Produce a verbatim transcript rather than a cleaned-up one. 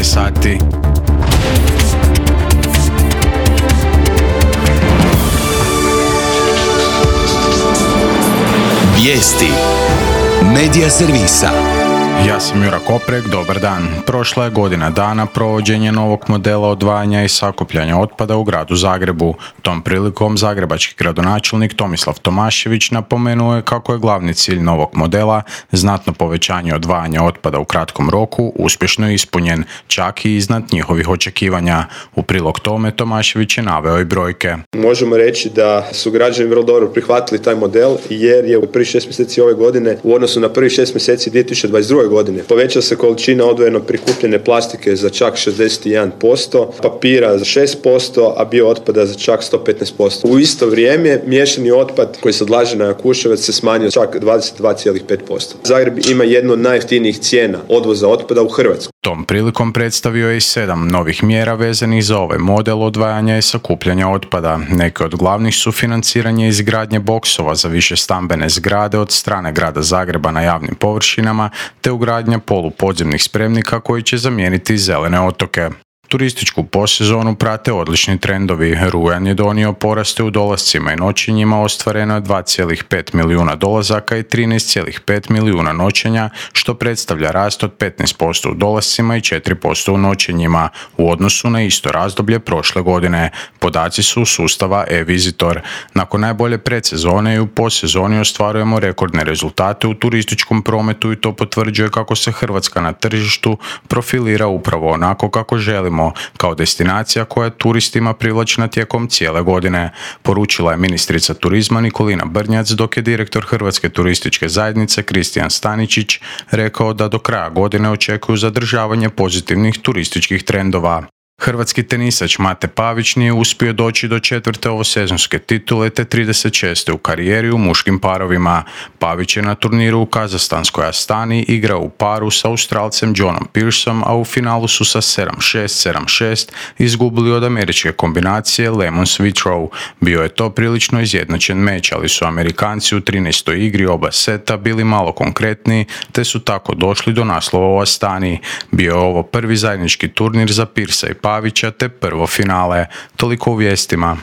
devetnaest sati. Vijesti Medija servisa. Ja sam Jura Koprek, dobar dan. Prošla je godina dana provođenja novog modela odvajanja i sakupljanja otpada u gradu Zagrebu. Tom prilikom zagrebački gradonačelnik Tomislav Tomašević napomenuo je kako je glavni cilj novog modela znatno povećanje odvajanja otpada u kratkom roku uspješno ispunjen, čak i iznad njihovih očekivanja. U prilog tome Tomašević je naveo i brojke. Možemo reći da su građani vrlo dobro prihvatili taj model jer je u prvih šest mjeseci ove godine u odnosu na prvih šest mjeseci dvije tisuće dvadeset druge godine povećala se količina odvojeno prikupljene plastike za čak šezdeset jedan posto, papira za šest posto, a bio otpada za čak sto petnaest posto. U isto vrijeme miješani otpad koji se odlaže na Jakuševac se smanjio čak dvadeset dva zarez pet posto. Zagreb ima jednu od najjeftinijih cijena odvoza otpada u Hrvatskoj. Tom prilikom predstavio je i sedam novih mjera vezanih za ovaj model odvajanja i sakupljanja otpada. Neke od glavnih su financiranje izgradnje boksova za više stambene zgrade od strane grada Zagreba na javnim površinama, te ugradnja polupodzemnih spremnika koji će zamijeniti zelene otoke. Turističku posezonu prate odlični trendovi. Rujan je donio poraste u dolascima i noćenjima, ostvareno je dva zarez pet milijuna dolazaka i trinaest zarez pet milijuna noćenja, što predstavlja rast od petnaest posto u dolascima i četiri posto u noćenjima u odnosu na isto razdoblje prošle godine. Podaci su sustava e-Visitor. Nakon najbolje predsezone i u posezoni ostvarujemo rekordne rezultate u turističkom prometu i to potvrđuje kako se Hrvatska na tržištu profilira upravo onako kako želimo, kao destinacija koja je turistima privlačna tijekom cijele godine, poručila je ministrica turizma Nikolina Brnjac, dok je direktor Hrvatske turističke zajednice Kristijan Staničić rekao da do kraja godine očekuju zadržavanje pozitivnih turističkih trendova. Hrvatski tenisač Mate Pavić nije uspio doći do četvrte ovosezonske titule te trideset šeste u karijeri u muškim parovima. Pavić je na turniru u kazahstanskoj Astani igrao u paru sa Australcem Johnom Pearsom, a u finalu su sa sedam šest sedam šest izgubili od američke kombinacije Lemon Switrow. Bio je to prilično izjednačen meč, ali su Amerikanci u trinaestoj igri oba seta bili malo konkretniji te su tako došli do naslova u Astani. Bio je ovo prvi zajednički turnir za Pearsa i Pavića te prvo finale. Toliko u vijestima.